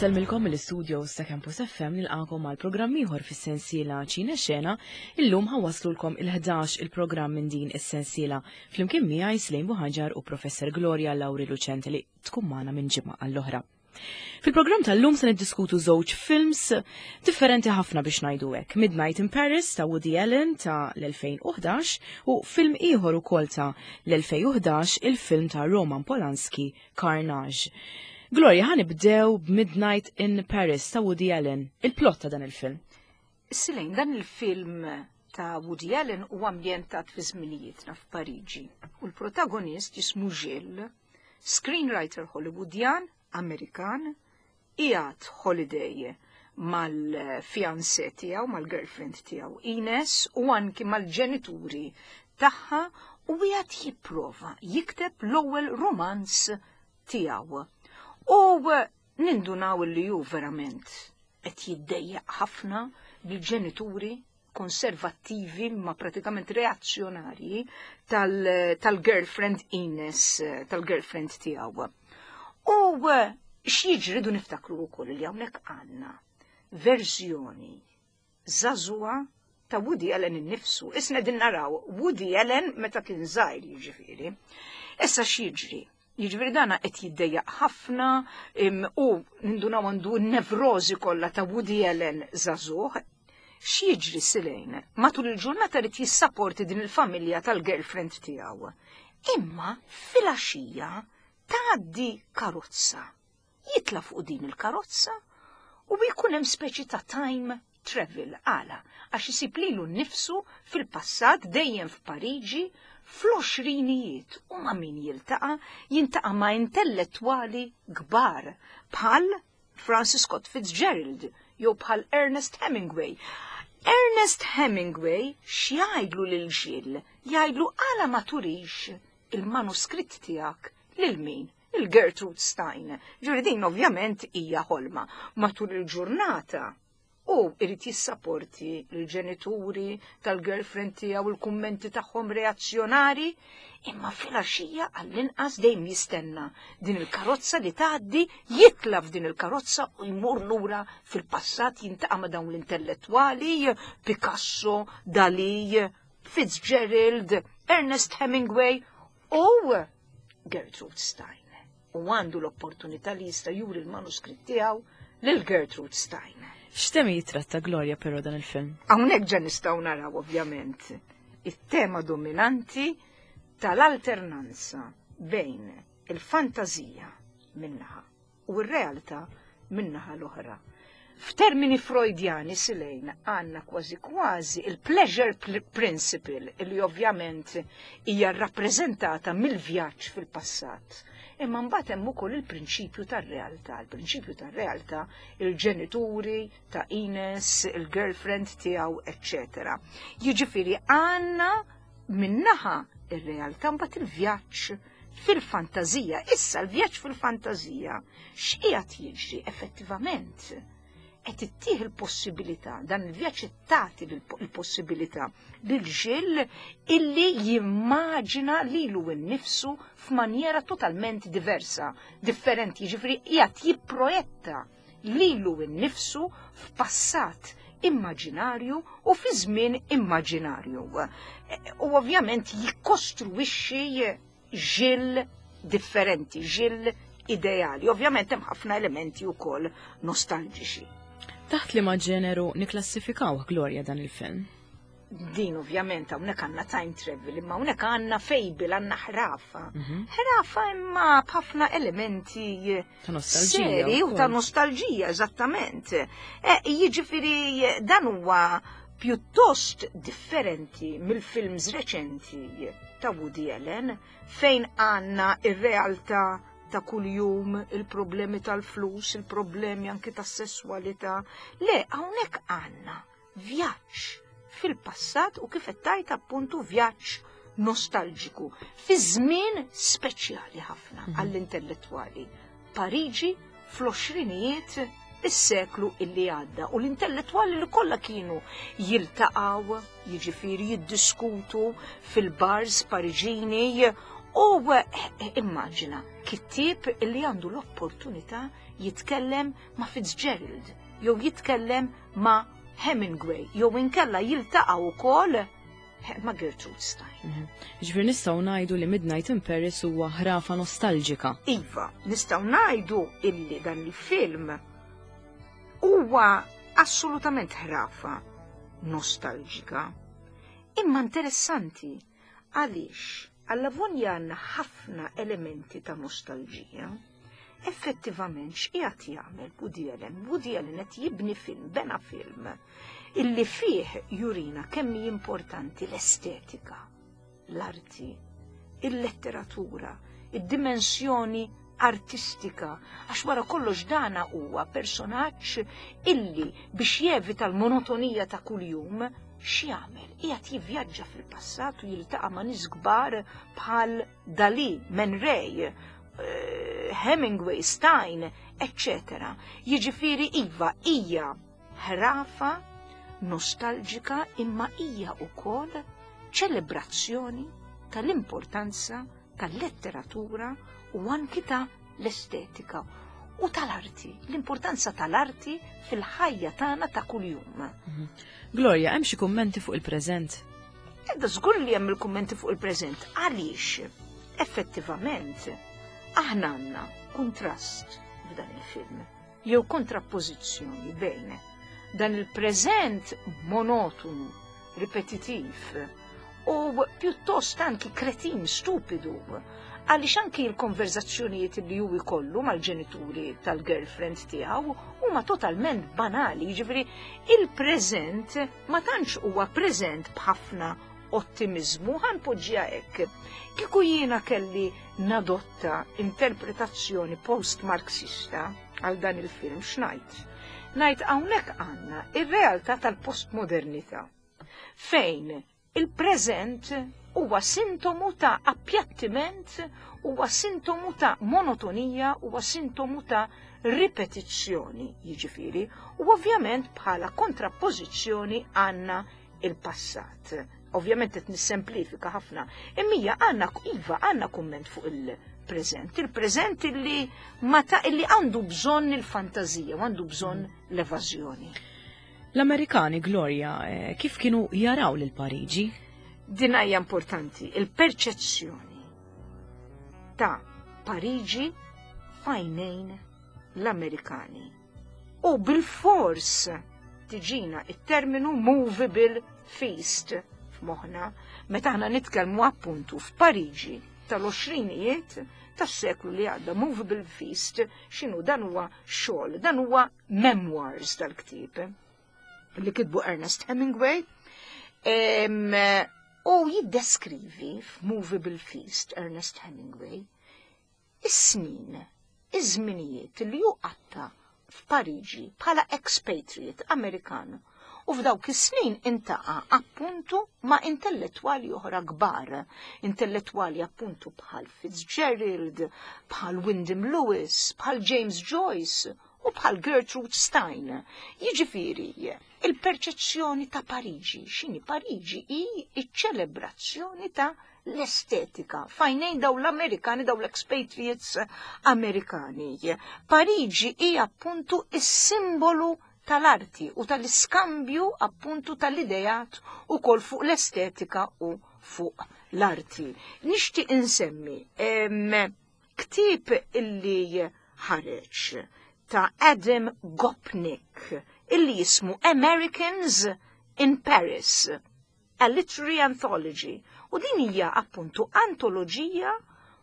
Insellmilkom mill-istudios ta' Campus FM nilqakom għal programm ieħor fis-sensiela Ċina Xena. Illum ħawaslulkom il-11 il-programm minn din is-sensiela. Flimkien miegħi Slejn Buħaġar u Professor Gloria Lauri Lucente li tkun magħna minn ġimgħa għall-oħra. Fil-programm tal-lum se niddiskutu żewġ films differenti ħafna biex ngħidu hekk. Midnight in Paris ta' Woody Allen ta' l-2011 u film ieħor ukoll ta' l-2011 il-film ta' Roman Polanski Carnage. Gloria, ħa nibdew b'Midnight in Paris ta' Woody Allen. Il-plot ta' dan il-film. Silejn, dan il-film ta' Woody Allen huwa ambjentat fi żminijietna f'Pariġi u l-protagonist jismu Gilles Screenwriter Hollywoodjan, Amerikan, qiegħed holiday mal-fiancé tiegħu, mal-girlfriend tiegħu Ines u anki mal-ġenituri tagħha u qiegħed jipprova jikteb l-ewwel romanz tiegħu. U nindunaw li hu verament qed jiddejjaq ħafna bil-ġenituri konservattivi ma pratikament reazzjonarji tal-girlfriend tal Ines, tal-girlfriend tiegħu. U eh, x'jiġri du niftakru wkoll li hawnhekk għandna verżjoni żagħżugħa ta' Woody Allen innifsu. Isna din naraw Woody Allen meta kien żgħir jiġifieri. Issa x'jiġri? Jiġifieri dana qed jiddejjaq ħafna u nindunaw għandu n-nevrożi kollha ta' Woody Allen żagħżugħ. X'jiġri Silejn? Matul il-ġurnata rid jissaporti din il-familja tal-girlfriend tiegħu. Imma filgħaxija tgħaddi karozza. Jitla' fuq din il-karozza u jkun hemm speċi ta' time travel. Għala? Għax isib lilu nnifsu fil-passat dejjem f'Pariġi fl-għoxrinijiet u ma' min jiltaqa'? Jintaqa' ma' intellettwali kbar bħal Francis Scott Fitzgerald jew bħal Ernest Hemingway. Ernest Hemingway x'jgħidlu lil Gilles? Jgħidlu għala ma turix il-manuskritt tiegħek lil min? Lil Gertrude Stein. Ġifieri din ovvjament hija ħolma. Matul il-ġurnata u irid jissaporti l-ġenituri tal-girlfriend tiegħu il-kummenti tagħhom reazzjonari, imma filgħaxija għall-inqas dejjem jistenna din il-karozza li tgħaddi, jitla' f'din il-karozza u jmur lura fil-passat jintaqa' ma' dawn l-intellettwali, Picasso, Dalí, Fitzgerald, Ernest Hemingway u Gertrude Stein u għandu l-opportunità li jista' juri l-manuskritt tiegħu lil Gertrude Stein. X'temi jitratta Gloria però dan il-film? Hawnhekk ġa nistgħu naraw ovvjament it-tema dominanti tal-alternanza bejn il-fantażija minnaħa u r-realtà min-naħa l-oħra. F'termini Freudjani silejn għandna kważi kważi il-pleasure principle li ovvjament hija rrappreżentata mill-vjaġġ fil-passat. Imma mbagħad hemm ukoll il-prinċipju tar-realtà. Il-prinċipju tar-realtà il-ġenituri ta' Ines, il-girlfriend tiegħu, eċċetera. Jiġifieri għandna minnaħa ir-realtà mbagħad il-vjaġġ fil-fantażija. Issa l-vjaġġ fil-fantażija x'qiegħed jiġri effettivament? Qed ittih il-possibilità, dan il-vjaġġ tagħti l-possibilità lil ġil illi jimmaġina lilu nnifsu f'manjera totalment diversa, differenti, jiġifieri qiegħed jipprojetta lilu nnifsu f'passat immaġinarju u fi żmien immaġinarju. U ovvjament jikkostruixxi ġil differenti, ġil ideali. Ovvjament hemm ħafna elementi wkoll nostalġiċi. Taħt li ma ġeneru niklassifikaw Gloria dan il-film? Din ovvjament hawnhekk għandna time travel, imma hawnhekk għandna fable, għandna ħrafa. Mhm. Ħrafa imma b'ħafna elementi ta' nostalġija. u ta' nostalġija, eżattament. E, jiġifieri dan huwa pjuttost differenti mill-films reċenti ta' Woody Allen fejn għandna ir-realtà ta' kuljum, il-problemi tal-flus, il-problemi anki tas-sesswalità. Le, hawnhekk għandna vjaġġ fil-passat u kif qed tgħid appuntu vjaġġ nostalġiku fi żmien speċjali ħafna mhm. għall-intellettwali. Pariġi fl-għoxrinijiet is-seklu illi għadda u l-intellettwali li kollha kienu jiltaqgħu, jiġifieri jiddiskutu fil-bars Pariġini u eh, immaġina kittieb illi għandu l-opportunità jitkellem ma' Fitzgerald, jew jitkellem ma' Hemingway, jew inkella jiltaqa' wkoll ma' Gertrude Stein. Ġifieri nistgħu ngħidu li Midnight in Paris huwa ħrafa nostalġika. Iva, nistgħu ngħidu illi dan il-film huwa assolutament ħrafa nostalġika. Imma interessanti għaliex għallavonja għandna ħafna elementi ta' nostalġija. Effettivament x'qiegħed jagħmel Woody Allen? Woody Allen qed jibni film, bena film, illi fih jurina kemm hi importanti l-estetika, l-arti, il-letteratura, id-dimensjoni artistika, għax wara kollox dana huwa personaġġ illi biex jevita l-monotonija ta' kuljum, x'jagħmel? Qiegħed jivvjaġġa fil-passat u jiltaqa' ma' nies kbar bħal Dalí, Man Ray, Hemingway, Stein, eccetera. Jiġifieri iva hija ħrafa nostalġika imma hija wkoll ċelebrazzjoni tal-importanza tal-letteratura u anki ta' l-estetika u tal-arti, l-importanza tal-arti fil-ħajja tagħna ta' kuljum. Gloria, hemm xi kummenti fuq il-preżent? Edda żgur li hemm il-kummenti fuq il-preżent. Għaliex effettivament aħna għandna kuntrast f'dan il-film, jew kontrappożizzjoni bejn dan il-preżent monotonu, ripetitiv u pjuttost anki kretin stupidu, għaliex anki l-konverzazzjonijiet li hu jkollu mal-ġenituri tal-girlfriend tiegħu huma totalment banali, jiġifieri il-preżent ma tantx huwa preżent b'ħafna ottimizmu, ħanpoġġiha hekk. Kieku jiena kelli nadotta interpretazzjoni post-Marxista għal dan il-film, x'ngħid? Ngħid hawnhekk għandna ir-realtà tal-postmodernità, fejn il-preżent huwa sintomu ta' appjattiment, huwa sintomu ta' monotonija, huwa sintomu ta' ripetizzjoni, jiġifieri, u ovvjament bħala kontrappożizzjoni għandna il-passat. Ovvjament qed nissemplifika ħafna, imma hija għandna iva għandna kumment fuq il-preżent, il-preżent illi ma ta' illi għandu bżonn il-fantażija u għandu bżonn l-evażjoni. L-Amerikani, Gloria, kif kienu jaraw lil Pariġi? Din hija importanti, il-perċezzjoni ta' Pariġi fajnejn l-Amerikani. U bil-fors tiġina it-terminu movable feast f'moħħna meta aħna nitkellmu appuntu f'Pariġi tal-20ijiet tas-seklu li għadda. Movable feast x'inhu? Dan huwa xogħol, dan huwa memoirs tal-ktieb li kitbu Ernest Hemingway. U jiddeskrivi f'Movable Feast Ernest Hemingway is-snin, iż-żminijiet li hu qatta f'Pariġi bħala expatriate Amerikan. U f'dawk is-snin intaqa' appuntu ma' intellettwali oħra kbar, intellettwali appuntu bħal Fitzgerald, bħal Wyndham Lewis, bħal James Joyce u bħal Gertrude Stein. Jiġifieri, il-perċezzjoni ta' Pariġi, x'inhi Pariġi hi iċ-ċelebrazzjoni ta' l-estetika, fajnejn daw l-Amerikani, daw l-expatriates Amerikani. Pariġi hi appuntu is-simbolu tal-arti u tal-iskambju appuntu tal-idejat u kol fuq l-estetika u fuq l-arti. Nixtieq insemmi ktieb illi ħareġ ta' Adam Gopnik illi jismu Americans in Paris, a Literary Anthology. U din hija appuntu antoloġija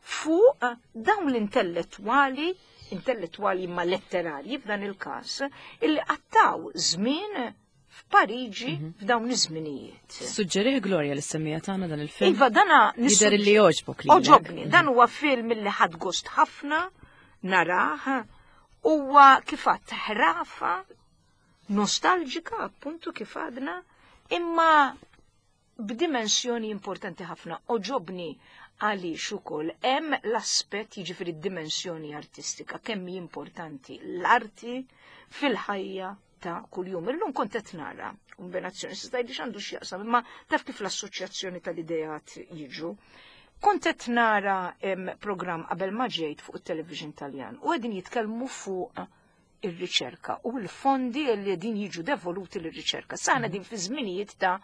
fuq dawn l-intellettwali, intellettwali ma letterarji f'dan il-każ, illi qattaw żmien f'Pariġi f'dawn iż-żminijiet. Suġġerih Gloria li semmija tagħna dan il-film. Iva, dana Jidher li jogħġbok lilek. Oġobni, dan huwa film li ħadt gost ħafna narah, huwa kif għadt ħrafa nostalġika appuntu kif għadna, imma b'dimensjoni importanti ħafna. Oġobni għaliex ukoll hemm l-aspett, jiġifieri d-dimensjoni artistika, kemm hi importanti l-arti fil-ħajja ta' kuljum. Illum kont qed nara kombinazzjoni, se tgħidli x'għandu x'jaqsam, imma taf kif l-assoċjazzjoni tal-ideat jiġu. Kont qed nara programm qabel ma ġejt fuq it-television Taljan u qegħdin jitkellmu fuq ir-riċerka u l-fondi li din jiġu devoluti lir-riċerka. Saħna din fi żminijiet ta'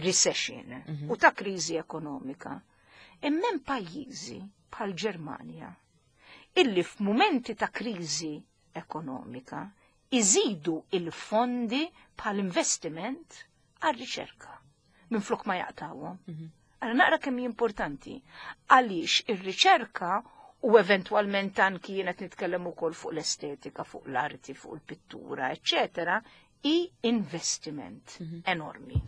recession u ta' kriżi ekonomika. Imma hemm pajjiżi bħal Ġermanja illi f'mumenti ta' kriżi ekonomika iżidu il-fondi bħal investiment għar-riċerka minflok ma jaqtawhom. Għara naqra kemm hi importanti għaliex ir-riċerka u eventwalment anki jien qed nitkellem ukoll fuq l-estetika, fuq l-arti, fuq il-pittura, eċċetera, hi investiment enormi.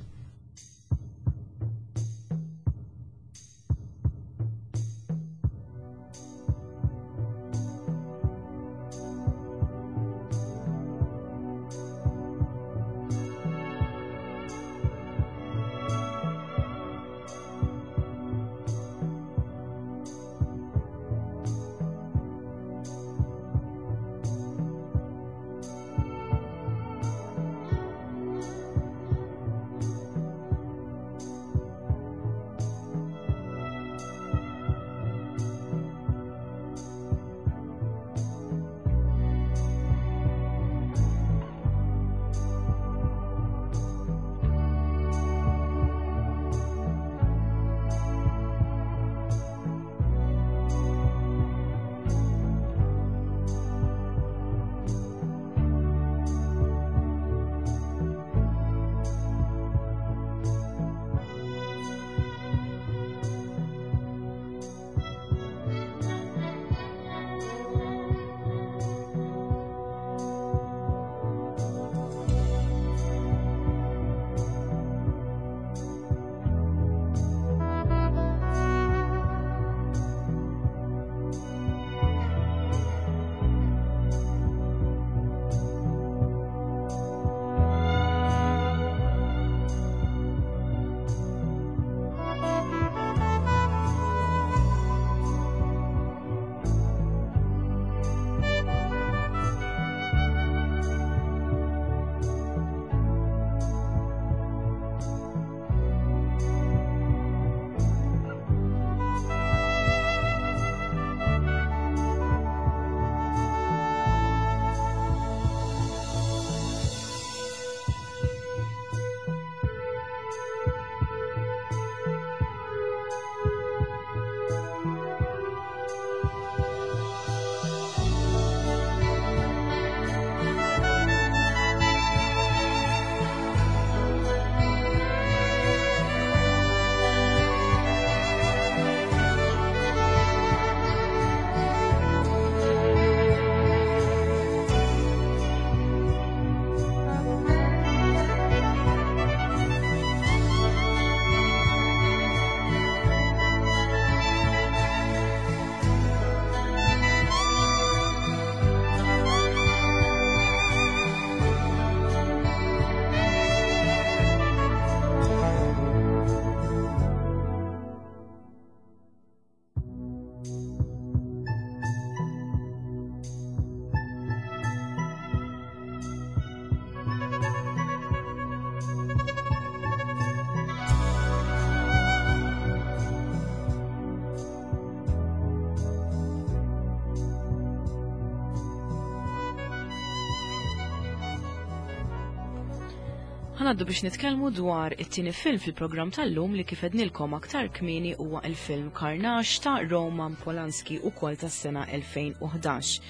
Ħanaddu biex nitkellmu dwar it-tieni film fil-programm tal-lum li kif għednilkom aktar kmieni huwa il-film Carnage ta' Roman Polanski ukoll tas-sena 2011.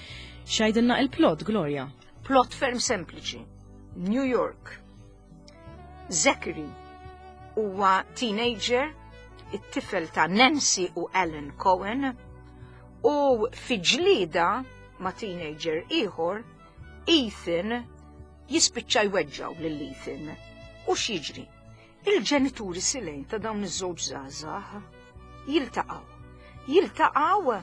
X'għidilna il-plot, Gloria? Plot ferm sempliċi. New York. Zachary huwa teenager, it-tifel ta' Nancy u Alan Cohen, u fi ġlieda ma' teenager ieħor, Ethan jispiċċa jweġġaw lil Ethan. U x'jiġri? Il-ġenituri silejn ta' dawn iż-żewġ żgħażagħ jiltaqgħu. Jiltaqgħu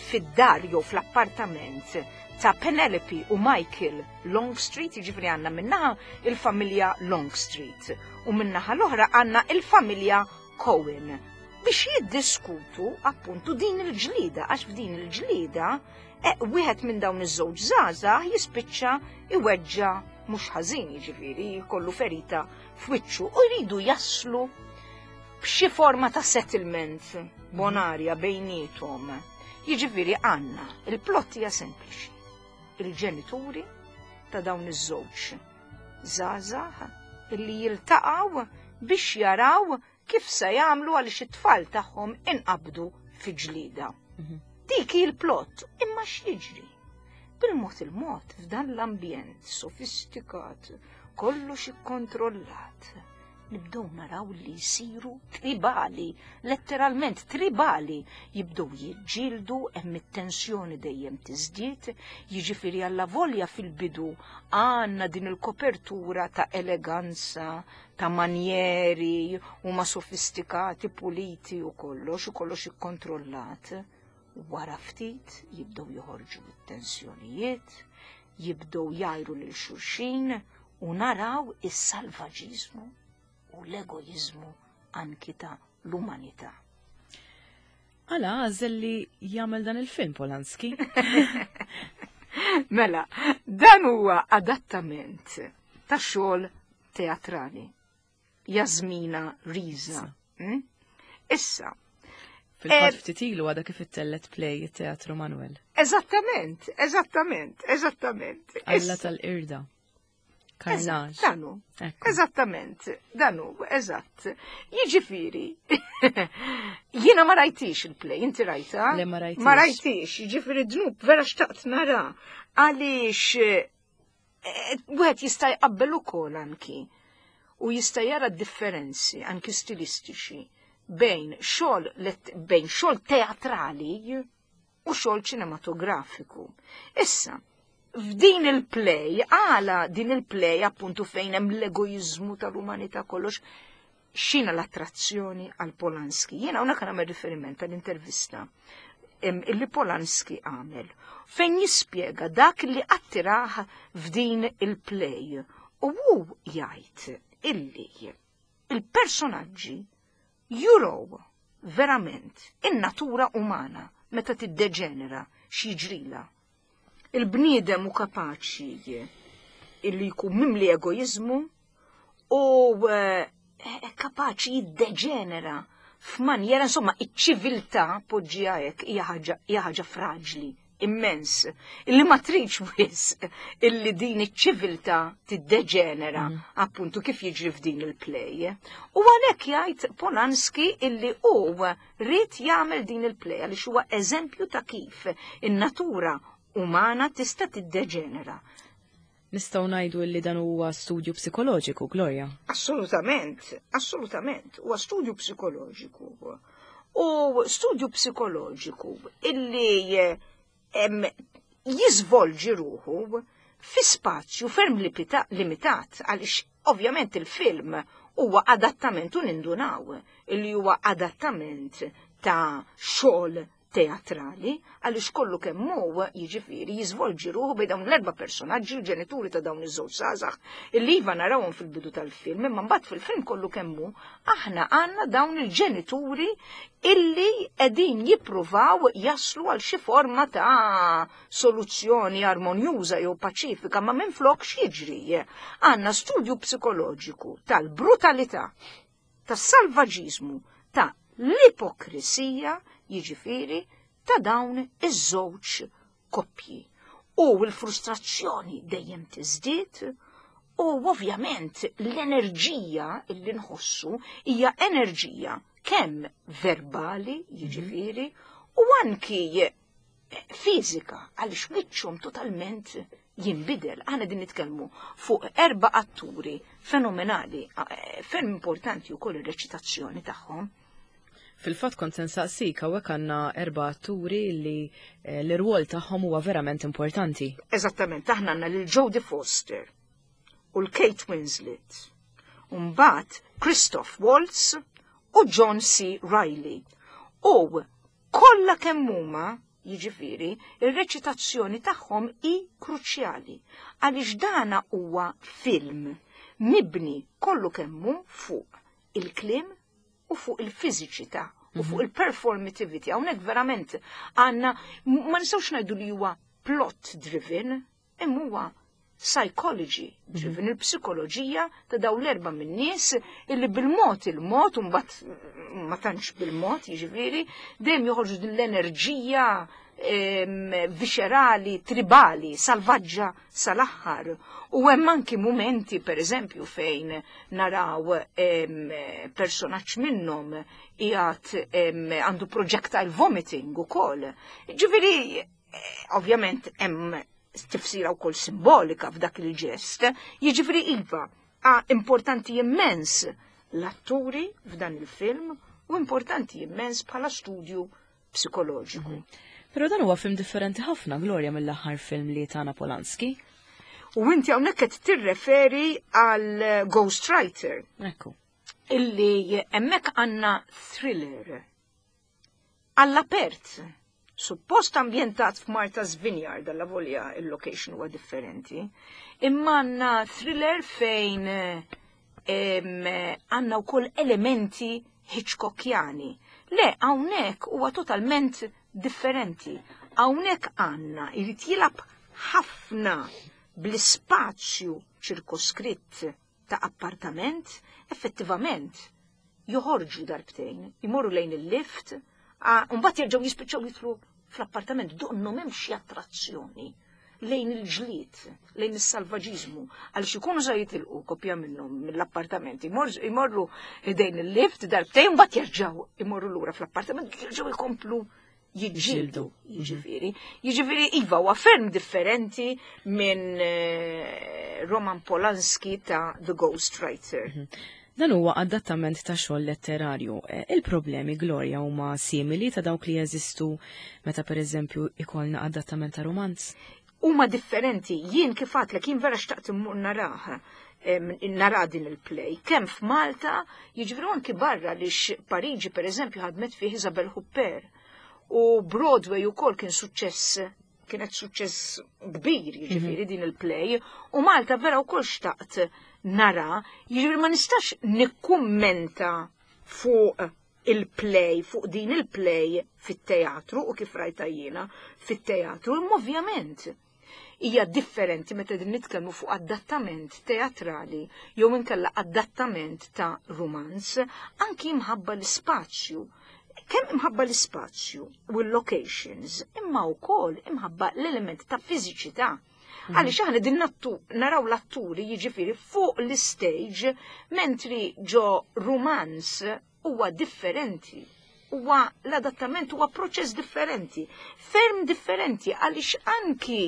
fid-dar jew fl-appartament ta' Penelope u Michael Longstreet, jiġifieri għandna minnaħa il-familja Longstreet u minnaħa l-oħra għandna il-familja Cohen biex jiddiskutu appuntu din il-ġlida, għax f'din il-ġlida wieħed minn dawn iż-żewġ żgħażagħ jispiċċa iweġġa mhux ħażin, jiġifieri jkollu ferita f'wiċċu u jridu jaslu b'xi forma ta' settlement bonarja bejniethom. Jiġifieri għandna il-plot hija sempliċi. Il-ġenituri ta' dawn iż-żewġ żgħażagħ illi jiltaqgħu biex jaraw kif se jagħmlu għaliex it-tfal tagħhom inqabdu fi ġlida. Dik hi l-plot, imma x'jiġri? Bil-mod il-mod f'dan l-ambjent sofistikat, kollox ikkontrollat, nibdew naraw li jsiru tribali, letteralment tribali, jibdew jiġġieldu hemm it-tensjoni dejjem tiżdied, jiġifieri alla volja fil-bidu għandna din il-kopertura ta' eleganza, ta' manjeri huma sofistikati, puliti u kollox, u kollox ikkontrollat. Wara ftit jibdew joħorġu it-tensjonijiet, jibdew jgħajru lil xulxin u naraw is-salvaġiżmu u l-egoiżmu anki ta' l-umanità. Għala għażel li jagħmel dan il-film Polanski? Mela, dan huwa adattament ta' xogħol teatrali. Jasmina Riza. Issa. Fil-fatt ftit ilu għadha kif ittellet play it-Teatru Manuel. Eżattament, eżattament, eżattament. Alla tal-irda. Karnaġ. Danu. Eżattament, danu, eżatt. Jiġifieri, jiena ma rajtix il-play, inti rajta? Le ma rajtix. Ma rajtix, jiġifieri dnub vera xtaqt nara. Għaliex wieħed jista' jqabbel ukoll anki u jista' jara differenzi anki stilistiċi bejn xogħol bejn xogħol teatrali u xogħol ċinematografiku. Issa, f'din il-play, għala din il-play appuntu fejn hemm l-egoizmu tal-umanità kollox, xina l-attrazzjoni għal Polanski. Jiena hawnhekk nagħmel riferiment għall-intervista illi Polanski għamel fejn jispjega dak li attirah f'din il-play. U hu jgħid illi il-personaġġi jurow verament in-natura umana meta tiddeġenera x'jiġrilha. Il-bniedem hu kapaċi illi jkun mimli egoiżmu u kapaċi jiddeġenera f'manjera, insomma, iċ-ċiviltà poġġiha hekk hija ħaġa fraġli immens, illi ma tridx wisq illi din iċ-ċiviltà tiddeġenera appuntu kif jiġri f'din il-play. U għalhekk jgħid Polanski illi hu ried jagħmel din il-play għaliex huwa eżempju ta' kif in-natura umana tista' tiddeġenera. Nistgħu ngħidu li dan huwa studju psikoloġiku, Gloria? Assolutament, assolutament, huwa studju psikoloġiku. U studju psikoloġiku illi jiżvolġi ruħu fi spazju ferm limitat, għaliex ovvjament il-film huwa adattament u nindunaw illi huwa adattament ta' xogħol teatrali, għaliex kollu kemm hu jiġifieri jiżvolġi ruħu bejn dawn l-erba' personaġġi, l-ġenituri ta' dawn iż-żewġ żgħażagħ, illi iva narawhom fil-bidu tal-film, imma mbagħad fil-film kollu kemm hu aħna għandna dawn il-ġenituri illi qegħdin jippruvaw jaslu għal xi forma ta' soluzzjoni armonjuża jew paċifika, ma minflok x'jiġri? Għandna studju psikoloġiku tal-brutalità, tas-salvaġiżmu, ta' l-ipokrisija, jiġifieri ta' dawn iż-żewġ koppji. U l-frustrazzjoni dejjem tiżdied u ovvjament l-enerġija illi nħossu hija enerġija kemm verbali, jiġifieri, u anki fiżika, għaliex wiċċhom totalment jinbidel. Aħna din nitkellmu fuq erba' atturi fenomenali, ferm importanti wkoll ir-reċitazzjoni tagħhom. Fil-fatt kont se nsaqsik, hawnhekk għandna erba' atturi li l-irwol tagħhom huwa verament importanti. Eżattament, aħna għandna lil Jodie Foster u l-Kate Winslet, u mbagħad Christoph Waltz u John C. Reilly. U kollha kemm huma, jiġifieri, ir-reċitazzjoni tagħhom hi kruċjali għaliex dana huwa film mibni kollu kemm hu fuq il-kliem u fuq il-fiżiċità u fuq il-performativity. Hawnhekk verament għandna, ma nistgħux ngħidu li huwa plot driven, imma huwa Psychology, ġifin il-psikoloġija ta' daw l-erba minn nies illi bil-mod il-mod, u mbagħad ma tantx bil-mod, jiġifieri, dejjem joħorġu din l-enerġija viscerali, tribali, salvaġġa sal-aħħar. U hemm anki mumenti, per eżempju, fejn naraw personaġġ minnhom qiegħed għandu projectile vomiting ukoll. Ġifieri, ovvjament hemm tifsira wkoll simbolika f'dak il-ġest, jiġifieri iva, importanti immens l-atturi f'dan il-film u importanti immens bħala studju psikoloġiku. Però dan huwa film differenti ħafna, Gloria, mill-aħħar film li tana Polanski. U inti hawnhekk qed tirreferi għal Ghostwriter. Ekku. Illi hemmhekk għandna thriller. Għall-apert, suppost ambjentat f'Martha's Vineyard, alla volja il-location huwa differenti, imma għandna thriller fejn għandna wkoll elementi Hitchcockjani. Le, hawnhekk huwa totalment differenti. Hawnhekk għandna jrid jilgħab ħafna bl-ispazju ċirkoskritt ta' appartament, effettivament joħorġu darbtejn, imorru lejn il-lift, u mbagħad jerġgħu jispiċċaw jidħlu fl-appartament, donnu m'hemmx xi attrazzjoni lejn il-ġlied, lejn is-salvaġiżmu, għaliex ikunu sa jitilqu kopja minnhom mill-appartament, imorru ħdejn il-lift darbtejn, mbagħad jerġgħu imorru lura fl-appartament, jerġgħu jkomplu jiġġieldu, jiġifieri. Jiġifieri iva huwa ferm differenti minn Roman Polanski ta' The Ghostwriter. Dan huwa adattament ta' xogħol letterarju. Il-problemi, Gloria, huma simili ta' dawk li jeżistu meta pereżempju ikollna adattament ta' romanz? Huma differenti. Jien kif għadtlek, jien vera xtaqt immur narah, nara din il-play. Kemm f'Malta, jiġifieri anki barra li Pariġi pereżempju ħadmet fih Isabelle Huppert. U Broadway ukoll kien suċċess, kienet suċċess kbir, jiġifieri din il-play. U Malta vera wkoll xtaqt nara, jiġifieri ma nistax nikkummenta fuq il-play, fuq din il-play fit-teatru u kif rajta jiena fit-teatru, imma ovvjament hija differenti meta din nitkellmu fuq adattament teatrali jew inkella adattament ta' romanz, anki imħabba l-ispazju. Kemm imħabba l-ispazju u l-locations, imma wkoll imħabba l-element ta' fiżiċità. Għaliex aħna din naraw l-atturi jiġifieri fuq l-stage, mentri ġo romanz huwa differenti. Huwa l-adattament huwa proċess differenti, ferm differenti, għaliex anki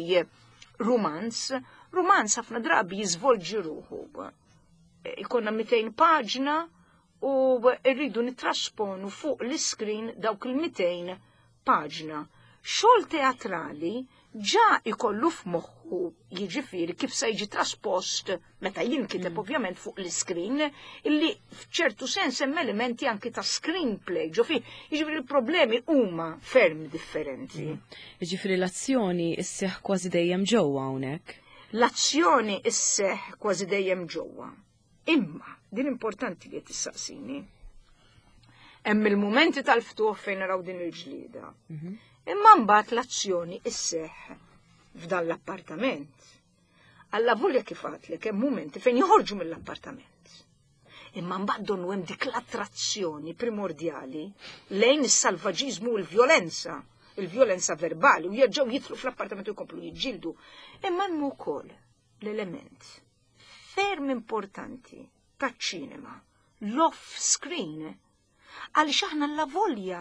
romanz ħafna drabi jiżvolġi ruħu. Ikonna 200 paġna u rridu nittrasponu fuq l-iskrin dawk il-200 paġna. Xogħol teatrali ġa ikollu f'moħħu jiġifieri kif se jiġi traspost meta jinkiteb ovvjament fuq l-iskrin, illi f'ċertu sens hemm elementi anki ta' screenplay, ġo fih, jiġifieri l-problemi huma ferm differenti. Jiġifieri l-azzjoni isseħħ kważi dejjem ġewwa hawnhekk. L-azzjoni isseħħ kważi dejjem ġewwa. Imma din importanti li tissaqsini. Hemm il-mumenti tal-ftuħ fejn naraw din il-ġlieda. Imma mbagħad l-azzjoni isseħħ f'dan l-appartament. Alla volja kif għadtlek hemm mumenti fejn joħorġu mill-appartament. Imma mbagħad donnu hemm dik l-attrazzjoni primordjali lejn is-salvaġiżmu u l-vjolenza, il-vjolenza verbali, u jerġgħu jidħlu fl-appartament u jkomplu jiġġieldu. Imma hemm ukoll l-element ferm importanti taċ-ċinema, l-off screen, għaliex aħna la volja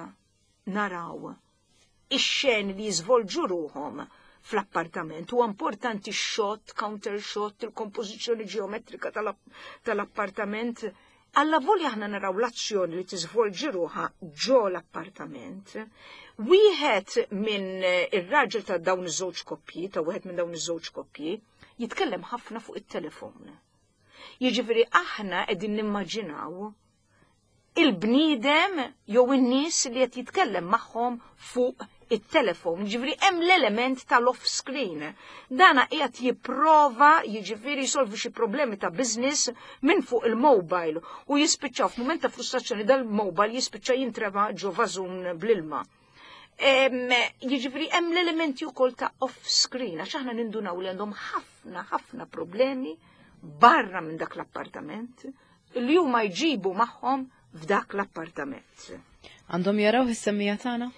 naraw ix-xeni li jiżvolġu ruhom fl-appartament. Huwa importanti x-shot, counter shot, il-kompożizzjoni ġeometrika tal-appartament. Alla volja aħna naraw l-azzjoni li tiżvolġi ruħha ġo l-appartament. Wieħed minn ir-raġel ta' dawn iż-żewġ koppji, ta' wieħed minn dawn iż-żewġ koppji, jitkellem ħafna fuq it-telefon. Jiġifieri aħna qegħdin nimmaġinaw il-bniedem jew in-nies li qed jitkellem magħhom fuq it-telefon, jiġifieri hemm l-element tal-off screen. Dana qiegħed jipprova jiġifieri jsolvi xi problemi ta' business minn fuq il-mobile u jispiċċaw f'mument ta' frustrazzjoni dal-mobile jispiċċa jintrema ġo vażun bl-ilma. Jiġifieri hemm l-elementi wkoll ta' off-screen, għax aħna nindunaw li għandhom ħafna ħafna problemi barra minn dak l-appartament li huma jġibu magħhom f'dak l-appartament. Għandhom jaraw is-semmija tagħna?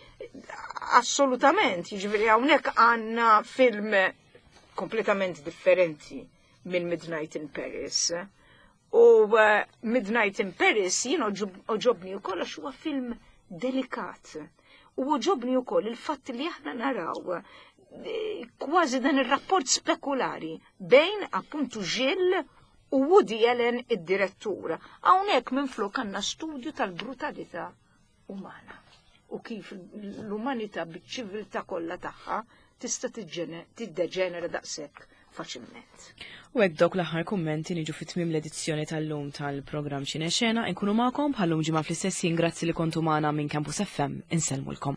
Assolutament, jiġifieri hawnhekk għandna film kompletament differenti minn Midnight in Paris. U Midnight in Paris jien għoġobni wkoll għax huwa film delikat. U għoġobni wkoll il-fatt li aħna naraw kważi dan ir-rapport spekulari bejn appuntu Gilles u Woody Allen id-direttur. Hawnhekk minflok għandna studju tal-brutalità umana u kif l-umanità biċ-ċiviltà kollha tagħha tista' tiddeġenera daqshekk faċilment. U hekk dawk l-aħħar kummenti niġu fi tmiem l-edizzjoni tal-lum tal-programm Xine Xena. Inkunu magħkom bħallum ġimgħa fl-istess ħin. Grazzi li kontu magħna minn Campus FM. Insellmulkom.